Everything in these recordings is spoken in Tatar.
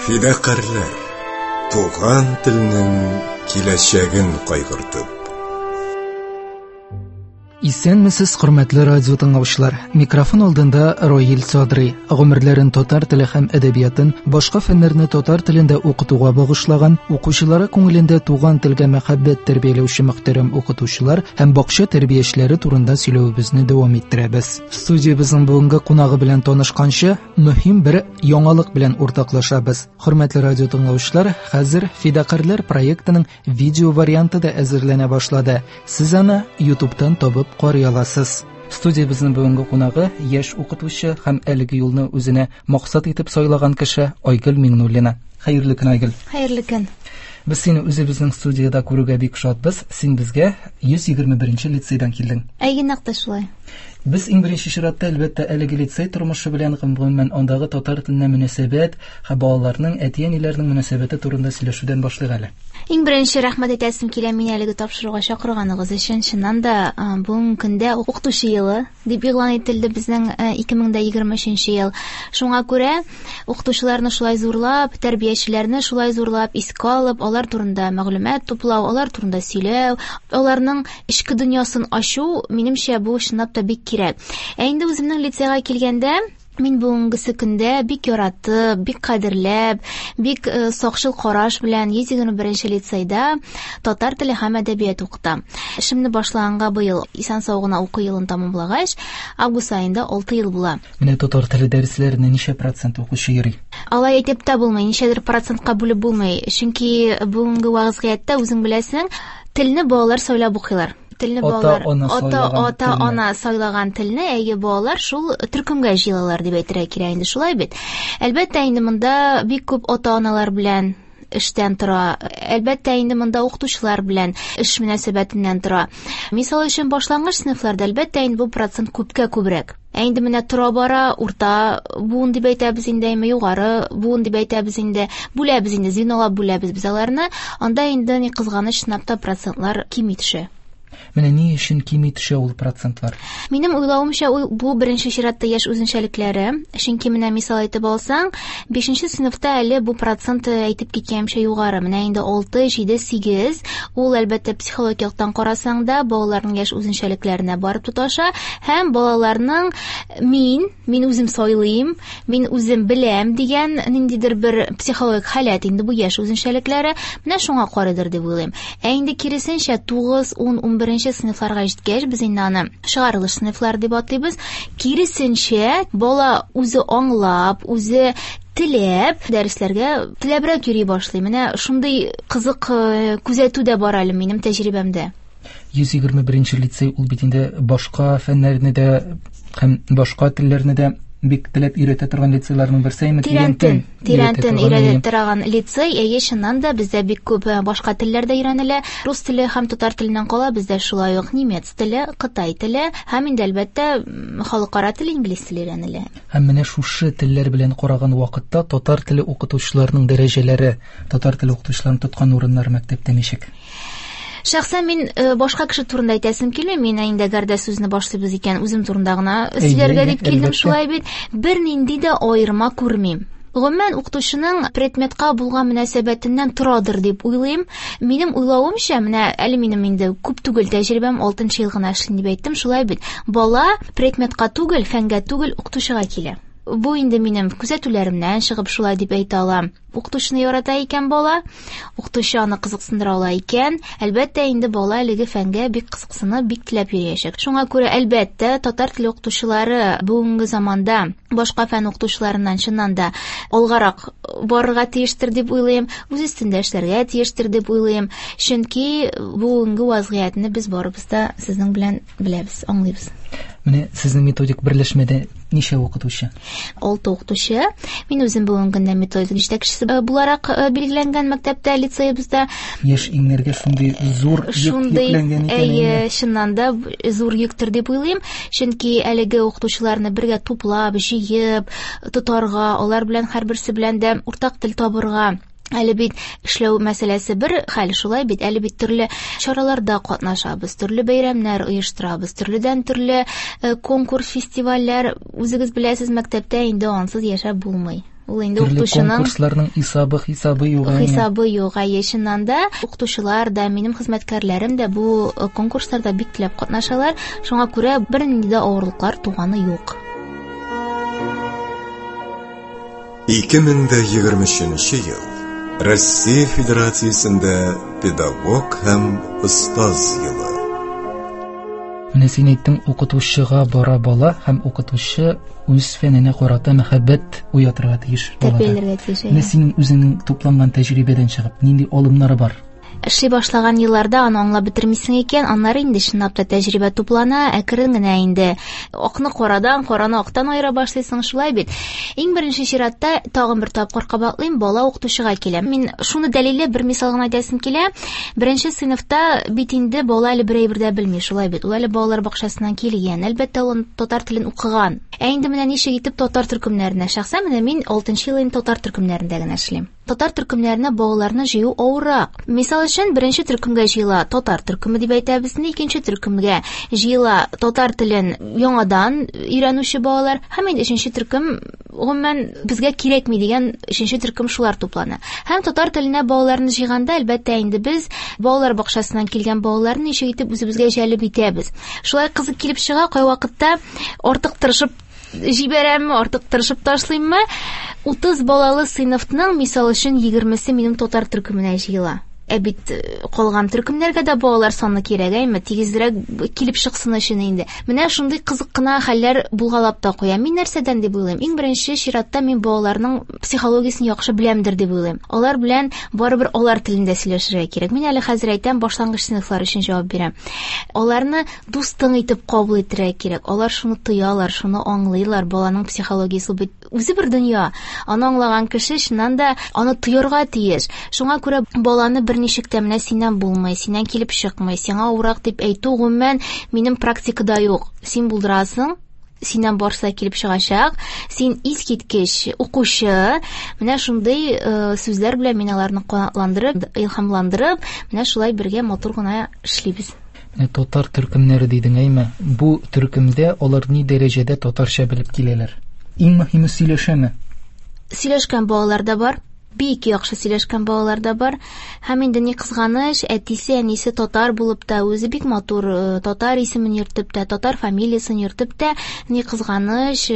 Фидакарьләр, туган телнең киләчәген кайгыртып. Исәнмесез, хөрмәтле радио тыңлаучылар. Микрофон алдында Роил Садри. Гомерләрен татар теле һәм әдәбиятын, башка фәннәрне татар телендә укытуга багышлаган, укучылары күңелендә туган телгә мәхәббәт тәрбияләүче мөхтәрәм укытучылар һәм бакча тәрбиячеләре турында сөйләвебезне дәвам иттерәбез. Студиябезнең бүгенге кунагы белән танышканчы, мөһим бер яңалык белән уртаклашабыз. Хөрмәтле радио тыңлаучылар, хәзер Фидакарьләр проектының видео варианты да әзерләнә башлады. Сез аны YouTube'тан табып карый аласыз. Студиябезнең бүгенге кунагы яшь укытучы һәм әлеге юлны үзенә максат итеп сайлаган кеше Айгөл Миңнуллина. Хәерле көн, Айгөл. Хәерле көн. Без сине үзебезнең студиядә күрүгә бик шатбыз. Син безгә 121 лицейдан килдең. Әйе, нәкъ тә шулай. Без иң беренче чиратта, әлбәттә, әлеге лицей тормышы белән һәм гомумән андагы татар теленә мөнәсәбәт һәм балаларның, әти-әниләрнең мөнәсәбәте турында сөйләшүдән башлыйк әле. Иң беренче рәхмәт әйтәсем килә мине әлеге тапшыруга чакырганыгыз өчен. Чыннан да, бүгенге көндә укытучы елы дип игълан ителде безнең 2023 ел. Шуңа күрә укытучыларны шулай зурлап, тәрбиячеләрне шулай зурлап искә алып, алар турында мәгълүмат туплау, алар турында сөйләү, аларның эчке дөньясын ачу, минемчә, бу чынлап та бик кирәк. Ә инде үземнең лицейга килгәндә, мин бүгенгесе көндә бик яратып, бик кадерләп, бик сакчыл караш белән 121 лицейда татар теле һәм әдәбият укытам. Эшемне башлаганга быел исән-сау гына уку елын тәмамлагач, август аенда 6 ел була. Менә татар теле дәресләренә ничә процент укучы йөри? Алай әйтеп тә булмый, ничәдер процентка бүлеп булмый. Чөнки бүгенге вазгыятьтә үзең беләсең, телне балалар сайлап укыйлар. Телне балалар ата-ана сайлаган телне, әйе, балалар шул төркемгә җыелалар дип әйтергә кирәк инде, шулай бит. Әлбәттә инде монда бик күп ата-аналар белән эштән тора. Әлбәттә инде монда укытучылар белән эш мөнәсәбәтеннән тора. Мисал өчен, башлангыч сыйныфларда әлбәттә инде бу процент күпкә күбрәк. Ә инде менә тора-бара урта буын дип әйтәбез инде, әмма югары буын дип әйтәбез инде, бүләбез инде, звенолап бүләбез без аларны. Анда инде ни кызганыч, чынлап та процентлар кими төшә. Менә ни өчен кими төшә ул процентлар? Минем уйлавымча, бу беренче чиратта яшь үзенчәлекләре. Чөнки менә мисал әйтеп алсаң, 5 сыйныфта әле бу процент әйтеп киткәнемчә югары. Менә инде 6, 7, 8. Ул әлбәттә психологик яктан карасаң да, балаларның яшь үзенчәлекләренә барып тоташа һәм балаларның мин үзем сайлыйм, мин үзем беләм дигән ниндидер бер психологик халәт инде бу яшь үзенчәлекләре. Менә шуңа карыйдыр дип уйлыйм. Ә инде киресенчә 9, 10, 11 сыйныфларга җиткәч, без инде аны чыгарылыш сыйныфлар дип атыйбыз. Киресенчә, бала үзе аңлап, үзе теләп дәресләргә теләбрәк йөри башлый. Менә шундый кызык күзәтү дә бар әле минем тәҗрибәмдә. 121 лицей ул бит инде башка фәннәрне дә һәм башка телләрне дә бик теләп өйрәтә торган лицейларның берсе, әйме? Тирәнтен өйрәтә торган лицей. Әйе, чыннан да бездә бик күп башка телләр дә өйрәнелә. Рус теле һәм татар теленнән кала бездә шулай ук немец теле, кытай теле һәм инде әлбәттә халыкара тел инглиз теле өйрәнелә. Һәм менә шушы телләр белән караган вакытта татар теле укытучыларының дәрәҗәләре, татар теле укытучыларының тоткан урыннары мәктәптә ничек? Шәхсән мин башка кеше турында әйтәсем килми. Мин инде әгәр дә сүзне башлыйбыз икән, үзем турында гына сөйләргә дип килдем, шулай бит. Бернинди дә аерма күрмим. Гомумән, укытучының предметка булган мөнәсәбәтеннән торадыр дип уйлыйм. Минем уйлавымча, менә әле минем инде күп түгел тәҗрибәм, 6 ел гына эшлим дип әйттем, шулай бит. Бала предметка түгел, фәнгә түгел, укытучыга килә. Бу инде минем күзәтүләремнән чыгып шулай дип әйтә алам. Укытучыны ярата икән бала, укытучы аны кызыксындыра ала икән, әлбәттә инде бала әлеге фәнгә бик кызыксынып, бик теләп йөриячәк. Шуңа күрә әлбәттә татар теле укытучылары бүгенге заманда башка фән укытучыларыннан чыннан да алгарак барырга тиештер дип уйлыйм, үз өстендә эшләргә тиештер дип уйлыйм. Чөнки бүгенге вазгыятьне без барыбыз да сезнең белән беләбез, аңлыйбыз. Менә сезнең методик берләшмәдә ничә укытучы? 6 укытучы. Мин үзем бүгенге көндә методик җитәкчесе буларак билгеләнгән мәктәптә, лицеебызда. Яшь иңнәргә шундый зур йөк йөкләнгән икән. Әйе, чыннан да зур йөктер дип уйлыйм. Чөнки әлеге укытучыларны бергә туплап, җыеп, тотарга, алар белән һәрберсе белән дә уртак тел табырга. Әле бит эшләү мәсьәләсе бер хәл, шулай бит, әле бит төрле чараларда катнашабыз, төрле бәйрәмнәр оештырабыз, төрледән төрле конкурс, фестивальләр, үзегез беләсез, мәктәптә инде ансыз яшәп булмый. Ул инде Төрле укытучының конкурсларның исабы хисабы юк. әйе. Хисабы юк, әйе, чыннан да укытучылар да, минем хезмәткәрләрем дә бу конкурсларда бик теләп катнашалар. Шуңа күрә бернинди дә авырлыклар туганы юк. 2023 ел Россия Федерациясендә педагог һәм остаз елы. Менә син әйттең, укытучыга бара бала һәм укытучы үз фәненә карата мәхәббәт уятырга тиеш балада. Тәрбияләргә тиеш. Менә Әйе. синең үзеңнең тупланган тәҗрибәдән чыгып, нинди алымнары бар? Эшли башлаган елларда аны аңлап бетермисең икән, аннары инде чынлап та тәҗрибә туплана, әкрен генә инде акны карадан, караны актан аера башлыйсың, шулай бит. Иң беренче чиратта тагын бер тапкыр кабатлыйм, бала укытучыга килә. Мин шуны дәлилләп бер мисал гына әйтәсем килә. Беренче сыйныфта бит инде бала әле бер әйбер дә белми, шулай бит. Ул әле балалар бакчасыннан килгән. Әлбәттә, ул татар телен укыган. Ә инде менә ничек итеп татар төркемнәренә, шәхсән менә мин 6 ел инде татар төркемнәрендә генә эшлим. Татар төркемнәренә балаларны җыю авыррак. Мисал өчен, беренче төркемгә җыела татар төркеме дип әйтәбез, инде икенче төркемгә җыела татар телен яңадан өйрәнүче балалар, һәм инде өченче төркем гомумән безгә кирәкми дигән өченче төркем шулар туплана. Һәм татар теленә балаларны җыйганда, әлбәттә, инде без балалар бакчасыннан килгән балаларны ничек итеп үзебезгә җәлеп итәбез. Шулай кызык килеп чыга, кайвакытта артык тырышып җибәрәмме, артык тырышып ташлыйммы? 30 балалы сыйныфның, мисал өчен, 20-се минем татар төркеменә җыела. Ә бит калган төркемнәргә дә балалар саны кирәк, әйме? Тигезрәк килеп чыксын өчен инде. Менә шундый кызык кына хәлләр булгалап та куя. Мин нәрсәдән дип уйлыйм? Иң беренче чиратта мин балаларның психологиясен яхшы беләмдер дип уйлыйм. Алар белән барыбер алар телендә сөйләшергә кирәк. Мин әле хәзер әйтәм, башлангыч сыйныфлар өчен җавап бирәм. Аларны дустың итеп кабул итәргә кирәк. Алар шуны тоялар, шуны аңлыйлар. Баланың психологиясе ул бит үзе бер дөнья. Аны аңлаган кеше чыннан да аны тоярга тиеш. Шуңа күрә баланы берничек тә менә синнән булмый, синнән килеп чыкмый, сиңа авырак дип әйтү гомумән минем практикада юк. Син булдырасың, синнән барса килеп чыгачак, син искиткеч укучы. Менә шундый сүзләр белән мин аларны канатландырып, илһамландырып, менә шулай бергә матур гына эшлибез. Менә татар төркемнәре дидең, әйме? Бу төркемдә алар ни дәрәҗәдә татарча белеп киләләр? Иң мөһиме сөйләшәме? Сөйләшкән балалар да бар, бик яхшы сөйләшкән балалар да бар. Һәм инде ни кызганыч, әтисе, әнисе татар булып та, үзе бик матур татар исемен йөртеп тә, татар фамилиясен йөртеп тә, ни кызганыч,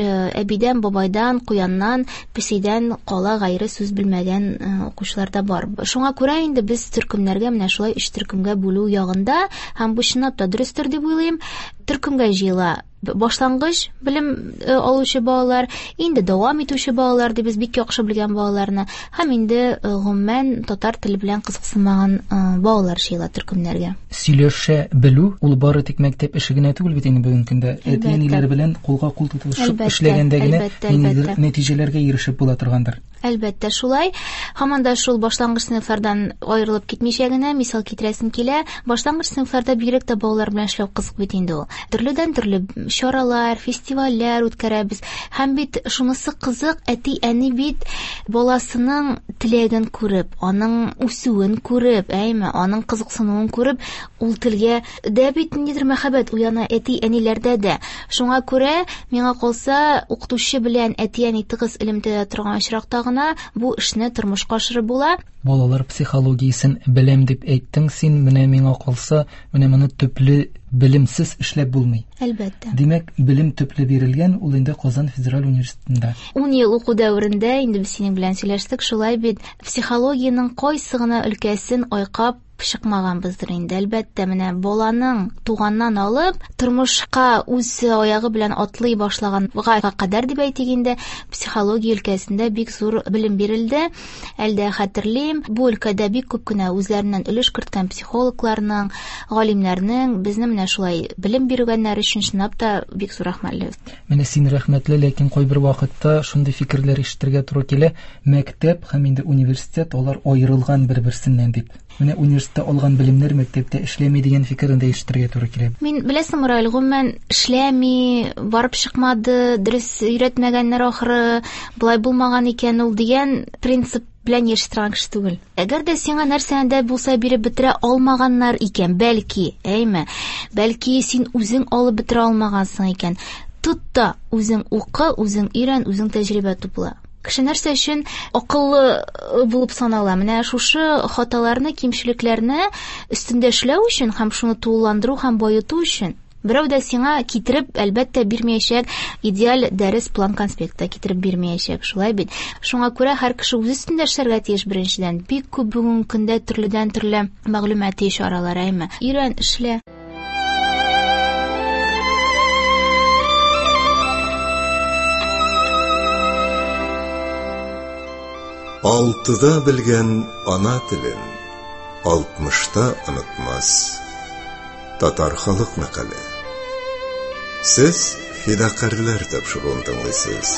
әбидән, бабайдан, куяннан, песидән кала гайре сүз белмәгән укучылар да бар. Шуңа күрә инде без төркемнәргә менә шулай өч төркемгә бүлү ягында, һәм бу чынлап та дөрестер дип уйлыйм, төркемгә җыела башлангыч белем алучы балалар, инде дәвам итүче балалар дип без бик яхшы белгән балаларны, һәм инде гомумән татар теле белән кызыксынмаган балалар җыела төркемнәргә. Сөйләшә белү ул бары тик мәктәп эше генә түгел бит инде бүгенге көндә. Әлбәттә. Әти-әниләр белән кулга кул тотышып Әлбәттә, эшләгәндә генә әлбәттә, ниндидер әлбәттә. нәтиҗәләргә ирешеп була торгандыр. Әлбәттә, шулай. Һаман да шул башлангыч сыйныфлардан аерылып китмичә генә мисал китерәсем килә. Башлангыч сыйныфларда бигрәк тә балалар белән эшләү кызык бит инде ул. Төрледән төрле чаралар, фестивальләр үткәрәбез. Һәм бит шунысы кызык, әти-әни бит баласының теләген күреп, аның үсүен күреп, әйме, аның кызыксынуын күреп, ул телгә дә бит ниндидер мәхәббәт уяна әти-әниләрдә дә. Шуңа күрә, миңа калса, укытучы белән әти-әни тыгыз элемтәдә торган очракта гына бу эшне тормышка ашырып була. Балалар психологиясен беләм дип әйттең син, менә миңа калса, менә моны төпле белемсез эшләп булмый. Әлбәттә. Димәк, белем төпле бирелгән, ул инде Казан федераль университетында. 10 ел уку дәверендә инде без синең белән сөйләштек, шулай бит, психологиянең кайсы гына өлкәсен айкап чыкмаганбыздыр инде. Әлбәттә, менә баланың туганнан алып тормышка үз аягы белән атлый башлаганга кадәр дип әйтик инде, психология өлкәсендә бик зур белем бирелде. Әлдә хәтерлим, бу өлкәдә бик күп кенә үзләреннән өлеш керткән психологларның, галимнәрнең безне менә шулай белем биргәннәр өчен чынлап та бик зур рәхмәтле. Менә син рәхмәтле, ләкин кайбер вакытта шундый фикерләр ишетергә туры килә. Мәктәп һәм инде университет алар аерылган бер-берсеннән дип. Менә университетта алган белемнәр мәктәптә эшләми дигән фикерен дә ишетергә туры килә. Мин беләсең, Раил, гомумән эшләми, барып чыкмады, дөрес өйрәтмәгәннәр ахыры, болай булмаган икән ул дигән принцип белән яши торган кеше түгел. Әгәр дә сиңа нәрсәне дә булса биреп бетерә алмаганнар икән, бәлки, әйме, бәлки син үзең алып бетерә алмагансың икән, тот та үзең укы, үзең өйрән, үзең тәҗрибә тупла. Кеше нәрсә өчен акыллы булып санала? Менә шушы хаталарны, кимчелекләрне өстендә эшләү өчен һәм шуны тулыландыру һәм баету өчен. Берәү дә сиңа китереп, әлбәттә, бирмәячәк, идеаль дәрес план конспекты китереп бирмәячәк, шулай бит? Шуңа күрә һәр кеше үз өстендә эшләргә тиеш беренчедән. Бик күп бүгенге көндә төрледән-төрле мәгълүмати чаралар, әйме? Өйрән, эшлә. Алтыда белгән ана телен алтмышта онытмас. Татар халык мәкале. Сез Фидакарьләр тапшыруын тыңлыйсыз.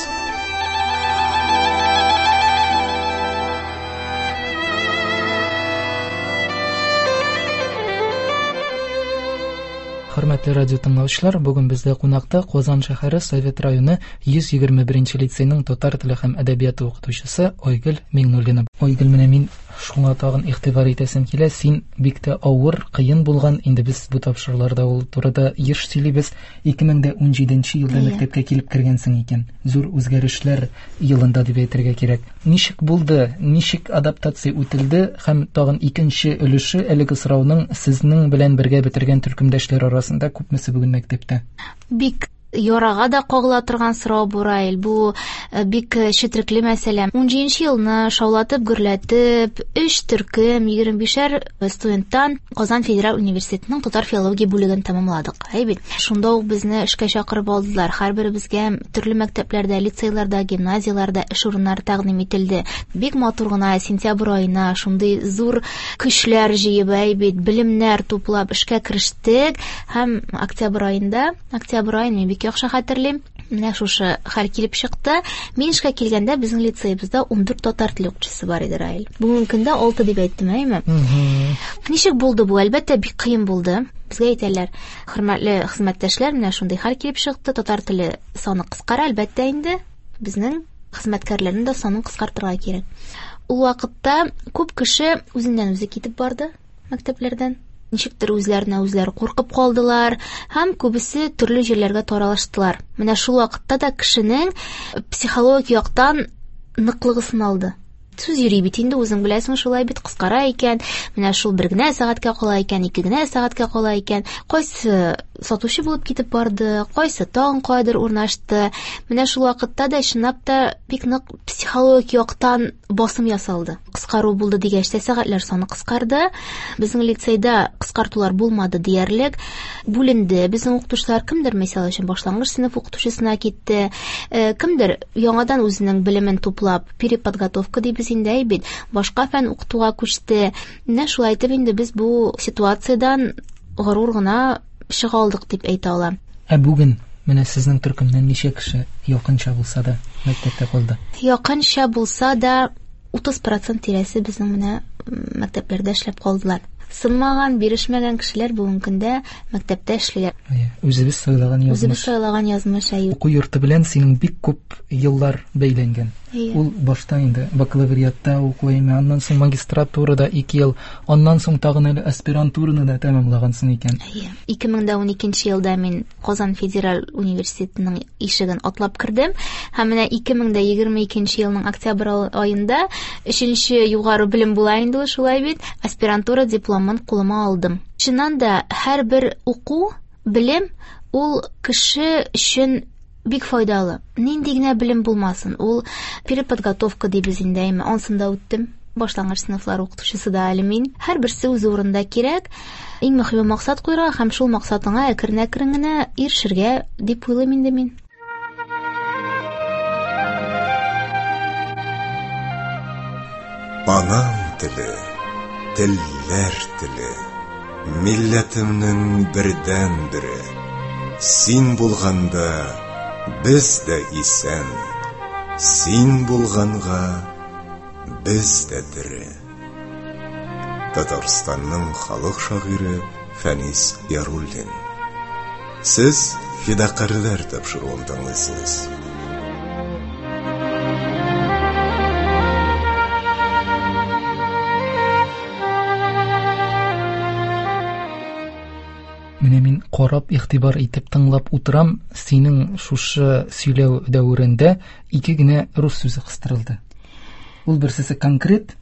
Хөрмәтле радио тыңлаучылар, бүген бездә кунакта Казан шәһәре Совет районы 121 лицейның татар теле һәм әдәбияты укытучысы Айгөл Миңнуллина. Айгөл, менә мин шуңа тагын игътибар итәсем килә. Син бик тә авыр, кыен булган, инде без бу тапшыруларда ул турыда еш сөйлибез. 2017 елда мәктәпкә килеп кергәнсең икән. Зур үзгәрешләр елында дип әйтергә кирәк. Ничек булды, ничек адаптация үтелде һәм тагын икенче өлеше әлеге сорауның сезнең белән бергә бетергән төркемдәшләр арасында күпмесе бүген мәктәптә? Бик ярага да кагыла торган сорау бу, Раил. Бу бик четерекле мәсьәлә. 17 елны шаулатып, гөрләтеп, 3 төркем, 25 студенттан Казан федераль университетының татар филология бүлеген тәмамладык. Әй бит. Шунда ук безне эшкә чакырып алдылар. Һәрберебезгә төрле мәктәпләрдә, лицейларда, гимназияләрдә эш урыннары тәкъдим ителде. Бик матур гына сентябрь аена шундый зур көчләр җыеп, әй бит, белемнәр туплап эшкә керештек һәм октябрь аенда, октябрь аен мин бик яхшы хәтерлим. Менә шушы хәл килеп чыкты. Мин эшкә килгәндә безнең лицеебызда 14 татар теле укытучысы бар иде, Раил. Бүгенге көндә 6 дип әйттем, әйеме? Ничек булды бу? Әлбәттә, бик кыен булды. Безгә әйтәләр, хөрмәтле хезмәттәшләр, менә шундый хәл килеп чыкты. Татар теле саны кыскара, әлбәттә инде. Безнең хезмәткәрләрнең дә санын кыскартырга кирәк. Ул вакытта күп кеше үзеннән үзе китеп барды мәктәпләрдән. Ничектер үзләренә үзләре куркып калдылар һәм күбесе төрле җирләргә таралыштылар. Менә шул вакытта да кешенең психологик яктан ныклыгы сыналды. Сүз йөри бит инде, үзең беләсең, шулай бит, кыскара икән, менә шул бер генә сәгатькә кала икән, ике генә сәгатькә кала икән. Кайсы сатучы булып китеп барды, кайсы тагын кайдыр урнашты. Менә шул вакытта да чынлап та бик нык психологик яктан басым ясалды. Кыскару булды дигәч тә сәгатьләр саны кыскарды. Безнең лицейда кыскартулар булмады диярлек. Бүленде безнең укытучылар, кемдер, мисал өчен, башлангыч сыйныф укытучысына китте, кемдер яңадан үзенең белемен туплап, переподготовка дибез инде, әй бит, башка фән укытуга күчте. Менә шулай итеп инде без бу ситуациядән горур гына чыга алдык дип әйтә алам. Ә бүген менә сезнең төркемнән ничә кеше якынча булса да мәктәптә калды? Якынча булса да 30% тирәсе безнең менә мәктәпләрдә эшләп калдылар. Сынмаган, бирешмәгән кешеләр бүгенге көндә мәктәптә эшлиләр. Үзебез сайлаган язмыш. Үзебез сайлаган язмыш, әйе. Уку йорты белән синең бик күп еллар бәйләнгән. Ул башта инде бакалавриатта уку, аннан соң магистратурада 2 ел, аннан соң тагын әле аспирантураны да тәмамлагансың икән. Әйе. 2012 елда мин Казан федераль университетының ишеген атлап кердем һәм менә 2022 елның октябрь аенда 3нче югары белем була инде ул, шулай бит, аспирантура дипломын кулыма алдым. Чыннан да һәрбер уку, белем ул кеше өчен бик файдалы. Нинди генә белем булмасын, ул переподготовка дибез инде, әйме, ансын да үттем. Башлангыч сыйныфлар укытучысы да әле мин. Һәрберсе үз урында кирәк. Иң мөһиме максат куйырга һәм шул максатыңа әкрен-әкрен генә ирешергә дип уйлыйм инде мин. Анам теле, телләр теле, милләтемнең бердәнбере. Син булганда без дә исән, син булганга без дә тере. Татарстанның халык шагыйре Фәнис Яруллин. Сез Фидакарьләр тапшыруын тыңлыйсыз. Менә мин Карап, игътибар итеп тыңлап утырам, синең шушы сөйләү дәверендә ике генә рус сүзе кыстырылды. Ул берсесе конкрет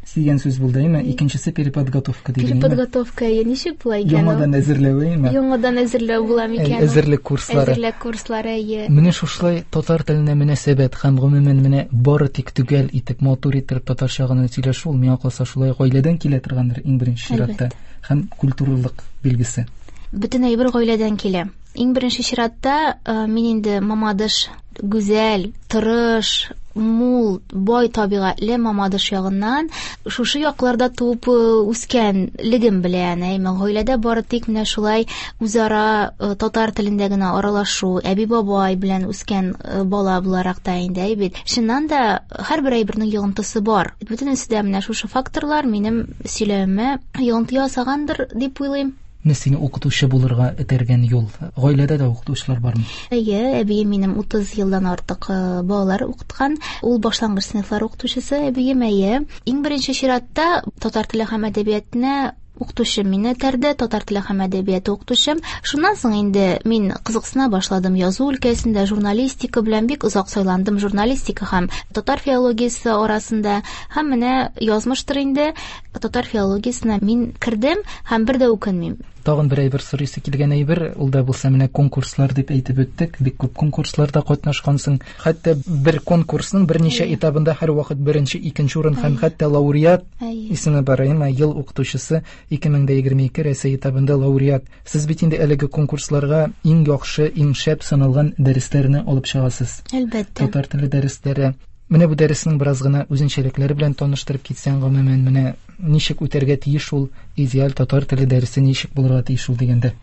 дигән сүз булды, әйме? Икенчесе переподготовка дигән. Переподготовка, әйе, ничек була икән? Яңадан әзерләү, әйме? Яңадан әзерләү була микән? Әзерлек курслары. Әзерлек курслары, әйе. Менә шушылай татар теленә мөнәсәбәт һәм гомумән менә бары тик төгәл итеп, матур итеп татарча гына сөйләшү, ул миңа калса шулай гаиләдән килә торгандыр иң беренче чиратта һәм культуралык билгесе. Бөтен әйбер гаиләдән килә. Иң беренче чиратта мин инде Мамадыш гүзәл, тырыш, мул, бай табигатьле Мамадыш ягыннан шушы якларда туып үскәнлегем белән, әйме, гаиләдә бары тик менә шулай үзара татар телендә генә аралашу, әби-бабай белән үскән бала буларак та инде, әй бит. Чыннан да һәрбер әйбернең йогынтысы бар. Бөтенесе дә менә шушы факторлар минем сөйләвемә йогынты ясагандыр дип уйлыйм. Менә сине укытучы булырга этәргән юл. Гаиләдә дә укытучылар бармы? Әйе, әбием минем 30 елдан артык балалар укыткан. Ул башлангыч сыйныфлар укытучысы әбием, әйе. Иң беренче чиратта татар теле һәм әдәбиятына укытучым мине этәрде, татар теле һәм әдәбияты укытучым. Шуннан соң инде мин кызыксына башладым язу өлкәсендә, журналистика белән бик озак сайландым, журналистика һәм татар филологиясе арасында. Һәм менә язмыштыр инде, татар филологиясенә мин кердем һәм бер дә үкенмим. Тагын бер әйбер сорыйсы килгән әйбер, ул да булса менә конкурслар дип әйтеп үттек. Бик күп конкурсларда катнашкансың. Хәтта бер конкурсның берничә этабында һәрвакыт беренче, икенче урын һәм хәтта лауреат исеме бар, әйме? Ел укытучысы 2022 Рәсәй этабында лауреат. Сез бит инде әлеге конкурсларга иң яхшы, иң шәп саналган дәресләрне алып чыгасыз. Әлбәттә. Татар теле дәресләре. Менә бу дәреснең бераз гына үзенчәлекләре белән таныштырып китсәң, гомумән, менә ничек үтәргә тиеш ул идеаль татар теле дәресе, ничек булырга тиеш ул дигәндә.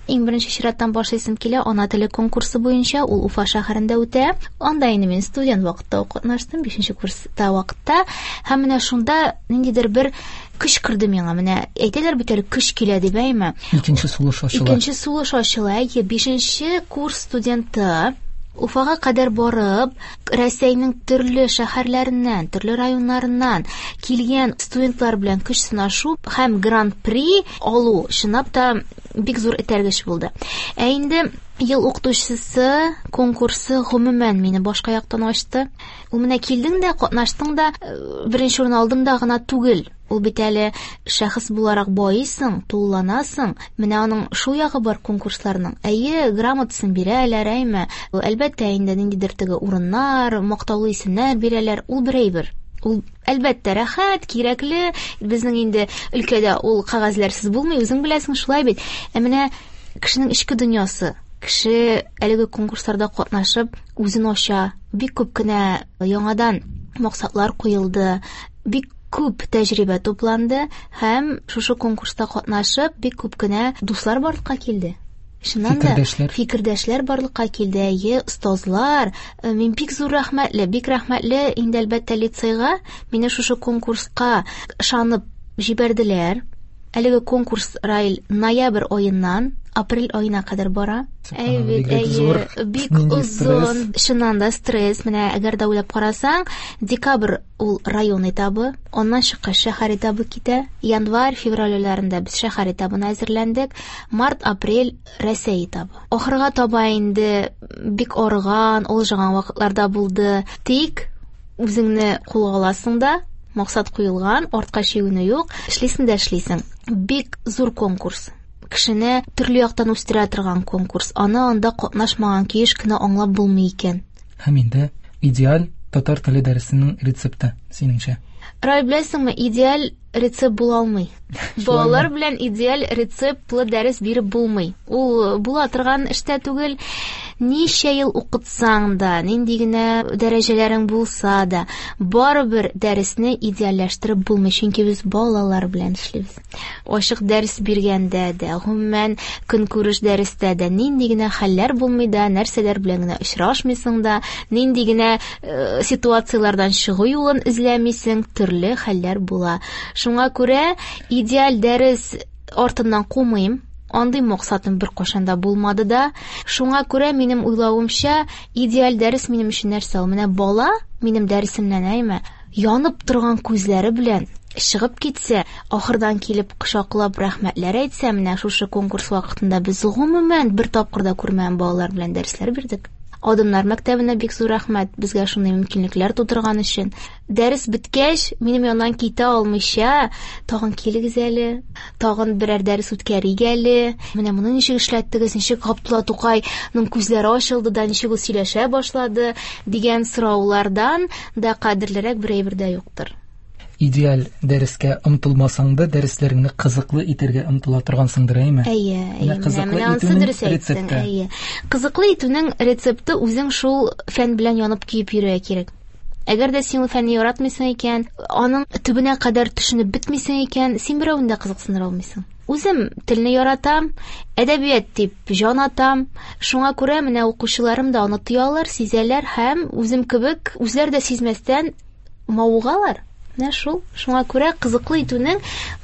Иң беренче чираттан башлыйсым килә ана теле конкурсы буенча, ул Уфа шәһәрендә үтә. Анда инде мин студент вакытта ук катнаштым, 5 курста вакытта. Һәм менә шунда ниндидер бер көч керде миңа. Менә әйтәләр бит әле, көч килә дип, әйме? Икенче сулыш ачыла. Икенче сулыш ачыла. Әйе, 5 курс студенты Уфага кадәр барып, Рәсәйнең төрле шәһәрләреннән, төрле районнарыннан килгән студентлар белән көч сынашу һәм гран-при алу чынлап та бик зур этәргеч булды. Ә инде ел укытучысы конкурсы гомумән мине башка яктан ачты. Ул менә килдең дә, катнаштың да, беренче урын алдың да гына түгел. Ул бит әле шәхес буларак байыйсың, тулыланасың. Менә аның шул ягы бар конкурсларның. Әйе, грамотасын бирәләр, әйме? Әлбәттә, инде ниндидер теге урыннар, мактаулы исемнәр бирәләр. Ул бер әйбер. Ул әлбәттә рәхәт, кирәкле. Безнең инде өлкәдә ул кәгазьләрсез булмый, үзең беләсең, шулай бит. Ә менә кешенең эчке дөньясы, кеше әлеге конкурсларда катнашып үзен ача, бик күп кенә яңадан максатлар куелды, бик күп тәҗрибә тупланды һәм шушы конкурста катнашып бик күп кенә дуслар барлыкка килде. Чыннан да фикердәшләр барлыкка килде, әйе, остазлар. Мин бик зур рәхмәтле, бик рәхмәтле инде әлбәттә лицейга, мине шушы конкурска ышанып җибәрделәр. Әлеге конкурс, Раил, ноябрь аеннан апрель аена кадәр бара. Әй бит, әйе, бик озын, чыннан да стресс. Менә әгәр дә уйлап карасаң, декабрь ул район этабы, аннан чыккач шәһәр этабы китә. Январь, февраль айларында без шәһәр этабына әзерләндек. Март, апрель Рәсәй этабы. Ахырга таба инде бик арыган, алҗыган вакытларда булды. Тик үзеңне кулга аласың да, максат куелган, артка чигенү юк, эшлисең дә эшлисең. Бик зур конкурс. Кешене төрле яктан үстерә торган конкурс. Аны анда катнашмаган килеш кенә аңлап булмый икән. Һәм инде идеаль татар теле дәресенең рецепты, синеңчә? Рай, беләсеңме, идеаль рецепт була алмый. Балалар белән идеаль рецептлы дәрес биреп булмый. Ул була торган эштә түгел. Ничә ел укытсаң да, нинди генә дәрәҗәләрең булса да, барыбер дәресне идеальләштереп булмый, чөнки без балалар белән эшлибез. Ачык дәрес биргәндә дә, гомумән көнкүреш дәрестә дә нинди генә хәлләр булмый да, нәрсәләр белән генә очрашмыйсың да, нинди генә ситуацияләрдән чыгу юлын эзләмисең, төрле хәлләр була. Шуңа күрә идеаль дәрес артыннан кумыйм. Андый максатым бер кашан да булмады да. Шуңа күрә минем уйлавымча, идеаль дәрес минем өчен нәрсә ул? Менә бала минем дәресемнән, әйме, янып торган күзләре белән Чыгып китсә, ахырдан килеп кочаклап рәхмәтләр әйтсә, менә шушы конкурс вакытында без гомумән бер тапкыр да күрмәгән балалар белән дәресләр бирдек. Адымнар мәктәбенә бик зур рәхмәт, безгә шундый мөмкинлекләр тудырган өчен. Дәрес беткәч, минем яннан китә алмыйча, тагын килегез әле, тагын берәр дәрес үткәрик әле. Менә моны ничек эшләттегез, ничек Габдулла Тукайның күзләре ачылды да, ничек ул сөйләшә башлады дигән сораулардан да кадерлерәк бер әйбер дә юктыр. Идеаль дәрескә омтылмасаң да, дәресләреңне кызыклы итәргә омтыла торгансыңдыр, әйеме? Әйе, әйе. Кызыклы итүнең рецепты. Әйе. Кызыклы итүнең рецепты үзең шул фән белән янып көеп йөрергә кирәк. Әгәр дә син ул фәнне яратмыйсың икән, аның төбенә кадәр төшенеп бетмисең икән, син берәүне дә кызыксындыра алмыйсың. Үзем телне яратам, әдәбият дип җан атам. Шуңа күрә менә укучыларым да аны тоялар, сизәләр һәм үзем кебек үзләре дә сизмәстән мавыгалар. Менә шул. Шуңа күрә кызыклы итүнең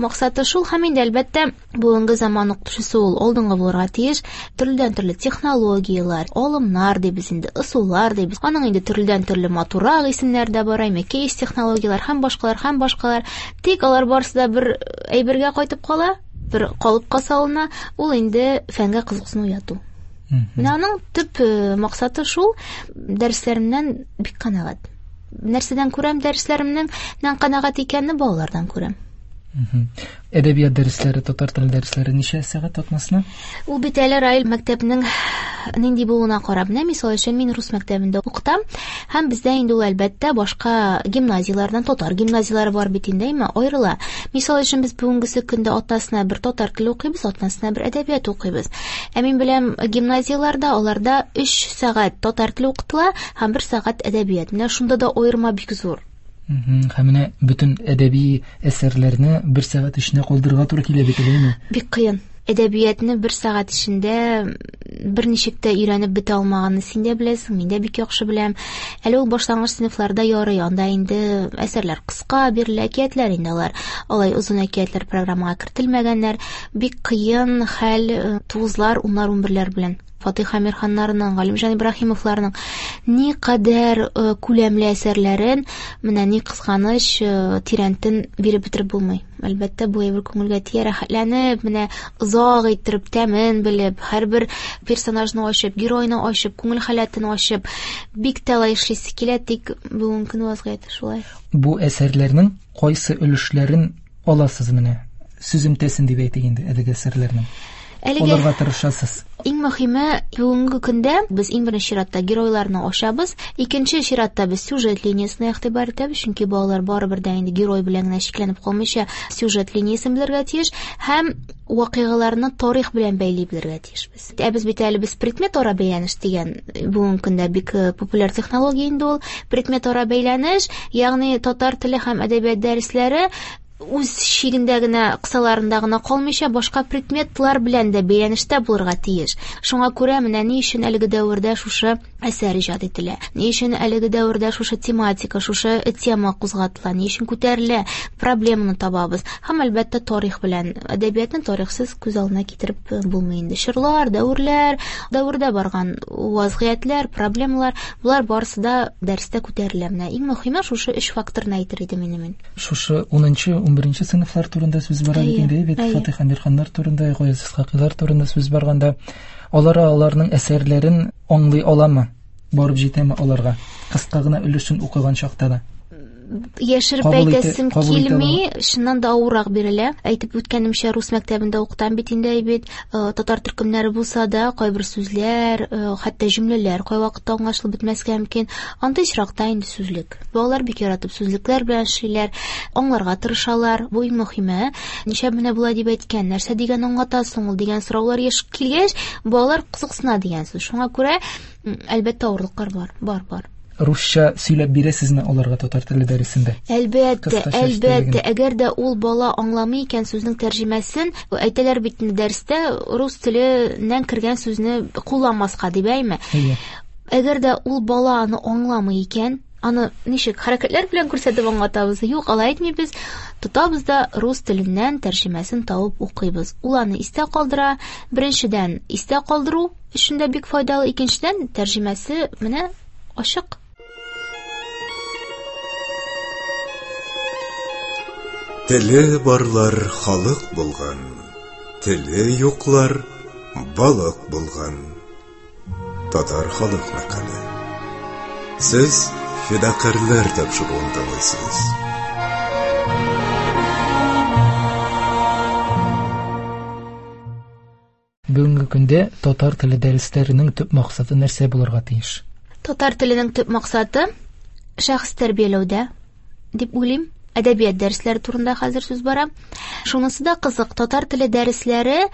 максаты шул һәм инде әлбәттә бүгенге заман укытучысы ул алдынгы булырга тиеш. Төрледән-төрле технологияләр, алымнар дибез инде, ысуллар дибез. Аның инде төрледән-төрле матуррак исемнәре дә бар, әйме кейс технологияләр һәм башкалар һәм башкалар. Тик алар барысы да бер әйбергә кайтып кала, бер калыпка салына, ул инде фәнгә кызыксыну уяту. Менә аның төп максаты шул. Дәресләремнән бик канәгать. Нәрсәдән күрәм дәресләремнең канәгать икәнне балалардан күрәм. Әдәбият дәресләре, татар теле дәресләре ничә сәгать атнасына? Ул бит әле Раил мәктәпнең нинди булуына карап. Менә мисал өчен мин рус мәктәбендә укытам һәм бездә инде ул әлбәттә башка гимназияләрдән, татар гимназияләре бар бит инде, әйме, аерыла. Мисал өчен без бүгенгесе көндә атнасына бер татар теле укыйбыз, атнасына бер әдәбият укыйбыз. Ә мин беләм гимназияләрдә аларда 3 сәгать татар теле укытыла һәм 1 сәгать әдәбият. Менә шунда да аерма бик зур. Һәм менә бөтен әдәби әсәрләрне бер сәгать эчендә калдырырга туры килә бит, әйеме? Бик кыен. Әдәбиятны бер сәгать эчендә берничек тә өйрәнеп бетә алмаганны син дә беләсең, мин дә бик яхшы беләм. Әле ул башлангыч сыйныфларда ярый, анда инде әсәрләр кыска бирелә, әкиятләр инде алар. Алай озын әкиятләр программага кертелмәгәннәр. Бик кыен хәл тугызлар, уннар, унберләр белән. Фатих Әмирханнарның, Галимҗан Ибраһимовларның ни кадәр күләмле әсәрләрен менә ни кызганыч тирәнтен биреп бетереп булмый. Әлбәттә, бу әйбер күңелгә тия, рәхәтләнеп, менә озак иттереп, тәмен белеп, һәрбер персонажны ачып, геройны ачып, күңел халәтен ачып, бик тә алай эшлисе килә, тик бүгенге көн вазгыяте шулай. Бу әсәрләрнең кайсы өлешләрен аласыз менә? Сүземтәсен дип әйтик инде әлеге әсәрләрнең. Әлеге Аларга тырышасыз. Иң мөһиме, бүгенге көндә без иң беренче чиратта геройларны ачабыз. Икенче чиратта без сюжет линиясенә игътибар итәбез, чөнки балалар барыбер дә инде герой белән генә чикләнеп калмыйча сюжет линиясен белергә тиеш һәм вакыйгаларны тарих белән бәйли белергә тиешбез. Ә без бит әле без предмет ара бәйләнеш дигән бүгенге көндә бик популяр технология инде ул. Предмет ара бәйләнеш, ягъни татар теле һәм әдәбият дәресләре үз чигендә генә, кысаларында гына калмыйча, башка предметлар белән дә бәйләнештә булырга тиеш. Шуңа күрә менә ни өчен әлеге дәвердә шушы әсәр иҗат ителә, ни өчен әлеге дәвердә шушы тематика, шушы тема кузгатыла, ни өчен күтәрелә, проблеманы табабыз. Һәм әлбәттә тарих белән, әдәбиятны тарихсыз күз алдына китереп булмый инде. Чорлар, дәверләр, дәвердә барган вазгыятьләр, проблемалар, болар барысы да дәрестә күтәрелә. Менә иң мөһиме шушы өч факторны әйтер идем инде мин. Шушы 10-нчы, 11-нче сыйныфлар турында сүз бара бит инде, бит Фатих Әмирханнар турында, Гаяз Исхакыйлар турында сүз барганда, алар аларның әсәрләрен аңлый аламы? Барып җитәме аларга? Кыска гына өлешен укыган чакта да. Яшереп әйтәсем килми, чыннан да авыррак бирелә. Әйтеп үткәнемчә, рус мәктәбендә укытам бит инде, бит татар төркемнәре булса да, кайбер сүзләр, хәтта җөмләләр кайвакытта аңлашылып бетмәскә мөмкин. Андый очракта инде сүзлек. Балалар бик яратып сүзлекләр белән эшлиләр, аңларга тырышалар. Бу иң мөһиме. Ничә менә болай дип әйткән, нәрсә дигән аңлата соң ул дигән сораулар еш килгәч, балалар кызыксына дигән сүз. Шуңа күрә, әлбәттә, авырлыклар бар, бар, бар. Русча сөйләп бирәсезме аларга татар теле дәресендә? Әлбәттә, әлбәттә. Әгәр дә ул бала аңламый икән сүзнең тәрҗемәсен, әйтәләр бит инде дәрестә рус теленнән кергән сүзне кулланмаска дип, әйме? Әгәр дә ул бала аны аңламый икән, аны ничек хәрәкәтләр белән күрсәтеп аңлатабыз? Юк, алай әйтмибез. Тотабыз да рус теленнән тәрҗемәсен табып укыйбыз. Ул аны истә калдыра. Беренчедән, истә калдыру өчен дә бик файдалы, икенчедән, тәрҗемәсе менә ачык. Теле барлар халык булган, теле юклар балык булган. Татар халык мәкале. Сез Фидакарьләр тапшыруын тыңлыйсыз. Бүгенге көндә татар теле дәресләренең төп максаты нәрсә булырга тиеш? Татар теленең төп максаты шәхес тәрбияләүдә дип уйлыйм. Әдәбият дәресләре турында хәзер сүз бара. Шунысы да кызык, татар теле дәресләре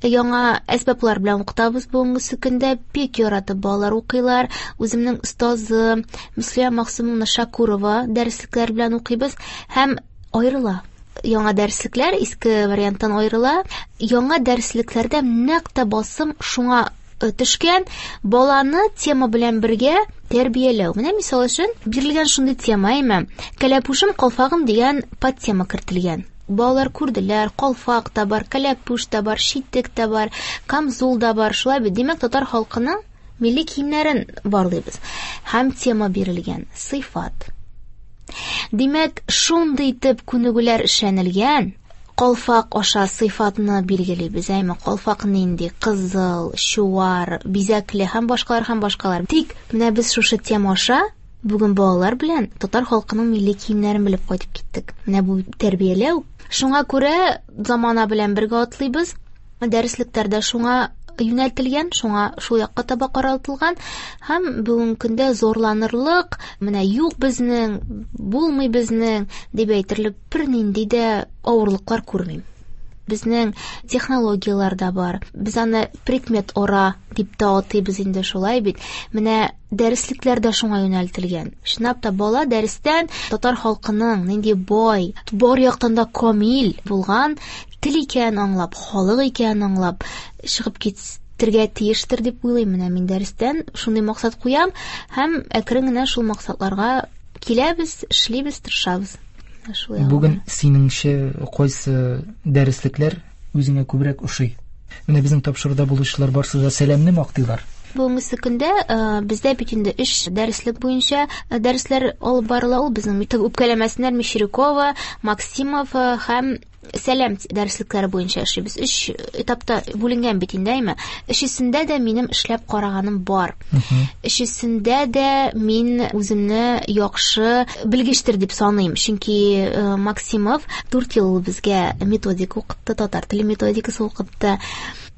яңа әсбаплар белән укытабыз бүгенге көндә. Бик яратып балалар укыйлар. Үземнең остазым Мөслимә Максумовна Шакурова дәреслекләр белән укыйбыз һәм аерыла. Яңа дәреслекләр иске варианттан аерыла. Яңа дәреслекләрдә нәкъ тә басым шуңа төшкән, баланы тема белән бергә тәрбияләү. Менә мисал өчен бирелгән шундый тема, әйме, кәләпүшем калфагым дигән подтема кертелгән. Балалар күрделәр, калфак та бар, кәләпүш тә бар, читек тә бар, камзул да бар. Шулай бит, димәк, татар халкының милли киемнәрен барлыйбыз. Һәм тема бирелгән, сыйфат. Димәк, шундый итеп күнегүләр эшләнелгән, калфак аша сыйфатны билгелибез, әйме, калфак нинди, кызыл, чуар, бизәкле һәм башкалар, һәм башкалар. Тик менә без шушы тема аша бүген балалар белән татар халкының милли киемнәрен белеп кайтып киттек. Менә бу тәрбияләү. Шуңа күрә замана белән бергә атлыйбыз. Дәреслекләр дә шуңа юнәлтелгән, шуңа шул якка таба каралтылган һәм бүгенге көндә зорланырлык, менә юк безнең, булмый безнең дип әйтерлек бернинди дә авырлыклар күрмим. Безнең технологияләр дә бар. Без аны предмет ора дип тә атыйбыз инде, шулай бит. Менә дәреслекләр дә шуңа юнәлтелгән. Чынлап та бала дәрестән татар халкының нинди бай, бар яктан да камил булган тел икәнен аңлап, халык икәнен аңлап чыгып китергә тиештер дип уйлыйм. Менә мин дәрестән шундый максат куям һәм әкрен генә шул максатларга киләбез, эшлибез, тырышабыз. Шулай алга. Бүген синеңчә кайсы дәреслекләр үзеңә күбрәк ошый? Менә безнең тапшыруда булучылар барсы да сәламне мактыйлар. Бүгенге көндә бездә бит инде 3 дәреслек буенча дәресләр алып барыла. Ул безнең бит үпкәләмәсеннәр Мещерякова, Максимов һәм Сәлам дәреслекләре буенча эшлибез. 3 этапта бүленгән бит инде, әйме? Өчесендә дә минем эшләп караганым бар. Өчесендә дә мин үземне яхшы белгечтер дип саныйм. Чөнки Максимов 4 ел безгә методика укытты, татар теле методикасы укытты.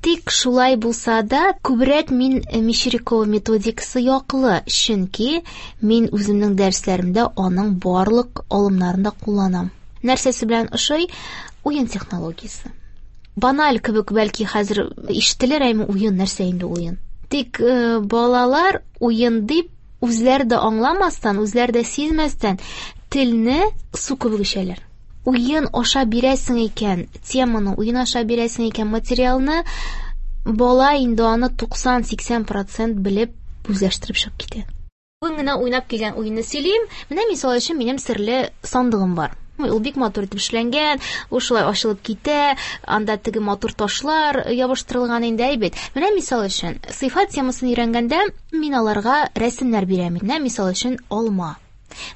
Тик шулай булса да, күбрәк мин Мещерякова методикасы яклы, чөнки мин үземнең дәресләремдә аның барлык алымнарын да кулланам. Нәрсәсе белән ошый? Уен технологиясе. Баналь кебек бәлки хәзер ишетелер, әйме уен, нәрсә инде уен? Тик балалар уен дип үзләре дә аңламастан, үзләре дә сизмәстән телне су кебек эчәләр. Уен аша бирәсең икән теманы, уен аша бирәсең икән материалны, бала инде аны туксан-сиксән процент белеп үзләштереп чыгып китә. Бүген генә уйнап килгән уенны сөйлим. Менә мисал өчен минем серле сандыгым бар. Ул бик матур итеп эшләнгән, ул шулай ачылып китә, анда теге матур ташлар ябыштырылган инде, әй бит. Менә мисал өчен, сыйфат темасын өйрәнгәндә мин аларга рәсемнәр бирәм. Менә мисал өчен алма.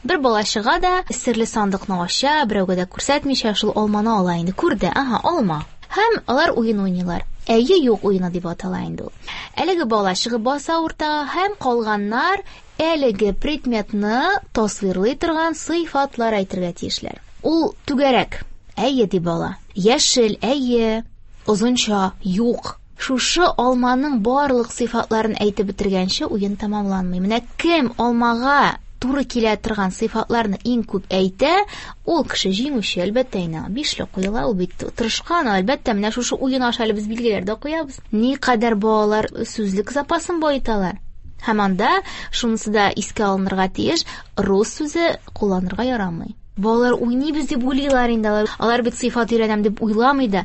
Бер бала чыга да серле сандыкны ача, берәүгә дә күрсәтмичә шул алманы ала инде. Күрде, аһа, алма. Һәм алар уен уйныйлар. Әйе, юк уены дип атала инде ул. Әлеге бала чыгып баса уртага һәм калганнар әлеге предметны тасвирлый торган сыйфатлар әйтергә тиешләр. Ул түгәрәк. Әйе, ди бала. Яшел, әйе. Озынча, юк. Шушы алманың барлык сыйфатларын әйтеп бетергәнче уен тәмамланмый. Менә кем алмага туры килә торган сыйфатларны иң күп әйтә, ул кеше җиңүче, әлбәттә, инде бишле куела, ул бит тырышкан, әлбәттә, менә шушы уен аша әле без билгеләр дә куябыз. Никадәр балалар сүзлек запасын баеталар. Һәм анда шунысы да искә алынырга тиеш, рус сүзе кулланырга ярамый. Балалар уйныйбыз дип уйлыйлар инде алар. Алар бит сыйфат өйрәнәм дип уйламый да.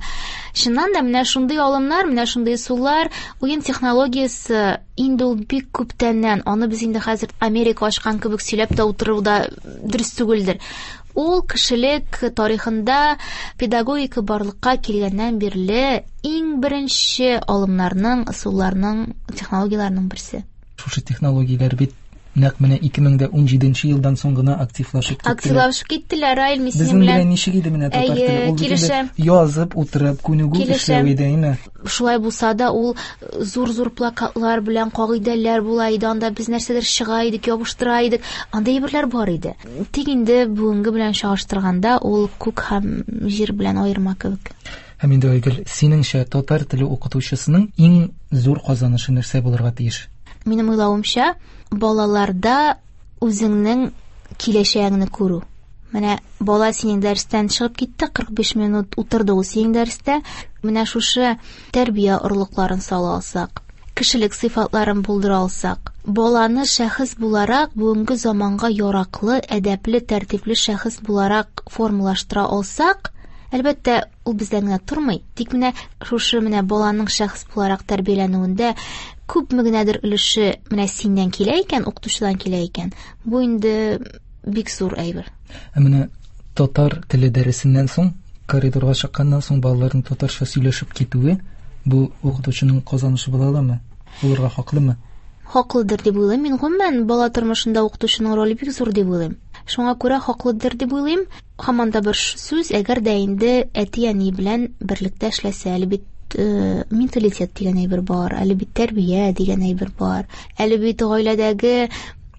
Чыннан да менә шундый алымнар, менә шундый ысуллар, уен технологиясе инде ул бик күптәннән, аны без инде хәзер Америка ачкан кебек сөйләп тә утыру да дөрес түгелдер. Ул кешелек тарихында педагогика барлыкка килгәннән бирле иң беренче алымнарның, ысулларның, технологияләрнең берсе. Шушы технологияләр бит Нәкъ менә 2017 елдан соң гына активлашып киттеләр. Активлашып киттеләр, Раил, мин синең Безнең белән белән ничек иде менә татар Әйе, теле? Ул бит инде килешәм. язып утырып, күнегү Килешәм. эшләү иде, әйме? Шулай булса да, ул зур-зур плакатлар белән кагыйдәләр була иде, анда без нәрсәдер чыга идек, ябыштыра идек. Анда әйберләр бар иде. Тик инде бүгенге белән чагыштырганда ул күк һәм җир белән аерма кебек. Һәм инде Айгөл, синеңчә татар теле укытучысының иң зур казанышы нәрсә булырга тиеш? Минем уйлавымча, балаларда үзеңнең киләчәгеңне күрү. Менә бала синең дәрестән чыгып китте, 45 минут утырды ул синең дәрестә. Менә шушы тәрбия орлыкларын сала алсак, кешелек сыйфатларын булдыра алсак, баланы шәхес буларак бүгенге заманга яраклы, әдәпле, тәртипле шәхес буларак формалаштыра алсак, әлбәттә, ул бездән генә тормый. Тик менә шушы менә баланың шәхес буларак тәрбияләнүендә күпме генәдер өлеше менә синнән килә икән, укытучыдан килә икән, бу инде бик зур әйбер. Ә менә татар теле дәресеннән соң, коридорга чыкканнан соң балаларның татарча сөйләшеп китүе бу укытучының казанышы була аламы? Булырга хаклымы? Хаклыдыр дип уйлыйм. Мин гомумән бала тормышында укытучының роле бик зур дип уйлыйм. Шуңа күрә хаклыдыр дип уйлыйм. Һаман да бер сүз, әгәр дә инде әти-әни белән берлектә эшләсә, әле бит менталитет дигән әйбер бар, әле бит тәрбия дигән әйбер бар, әле бит гаиләдәге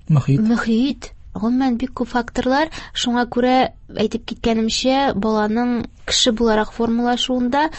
мөхит. Мөхит. Гомумән бик күп факторлар. Шуңа күрә әйтеп киткәнемчә, баланың кеше буларак формалашуында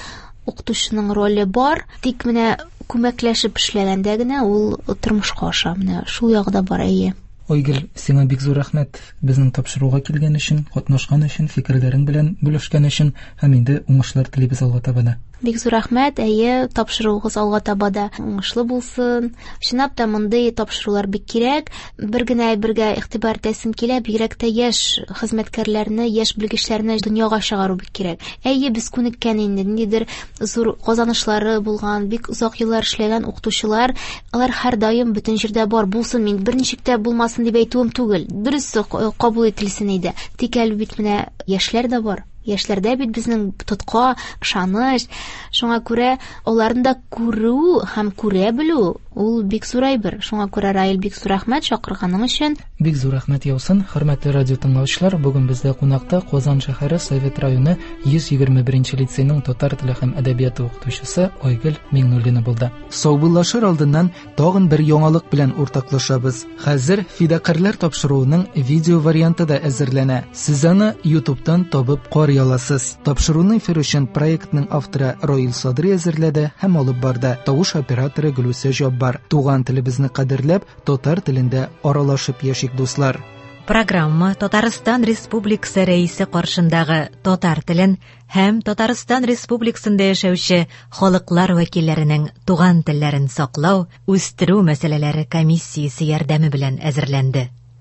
укытучының роле бар. Тик менә күмәкләшеп эшләгәндә генә ул тормышка аша. Менә шул ягы да бар, әйе. Айгөл, сиңа бик зур рәхмәт безнең тапшыруга килгән өчен, катнашкан өчен, фикерләрең белән бүлешкән өчен һәм инде уңышлар телибез алга таба да. Бик зур рәхмәт, әйе, тапшыруыгыз алга таба да уңышлы булсын. Чынлап та мондый тапшырулар бик кирәк. Бер генә әйбергә игътибар итәсем килә, бигрәк тә яшь хезмәткәрләрне, яшь белгечләрне дөньяга чыгару бик кирәк. Әйе, без күнеккән инде, ниндидер зур казанышлары булган, бик озак еллар эшләгән укытучылар, алар һәрдаим бөтен җирдә бар булсын, мин берничек тә булмасын дип әйтүем түгел. Дөрес кабул ителсен иде. Тик әле бит менә яшьләр дә бар. Яшьләрдә бит безнең тотка, ышаныч. Шуңа күрә аларны да күрү һәм күрә белү ул бик зур әйбер. Шуңа күрә, Раил, бик зур рәхмәт чакырганың өчен. Бик зур рәхмәт яусын, хөрмәтле радио тыңлаучылар. Бүген бездә кунакта Казан шәһәре Совет районы 121 лицейның татар теле һәм әдәбияты укытучысы Айгөл Миңнуллина булды. Саубуллашыр алдыннан тагын бер яңалык белән уртаклашабыз. Хәзер Фидакарьләр тапшыруының видео варианты да әзерләнә. Сез аны YouTube'тан табып карый аласыз. Тапшыруны эфир өчен проектның авторы Раил Садри әзерләде һәм алып барды. Тавыш операторы Гөлүсә Җаббар. Туган телебезне кадерләп, татар телендә аралашып яшик, дуслар. Программа Татарстан Республикасы Рәисе каршындагы татар телен һәм Татарстан Республикасында яшәүче халыклар вәкилләренең туган телләрен саклау, үстерү мәсьәләләре комиссиясе ярдәме белән әзерләнде.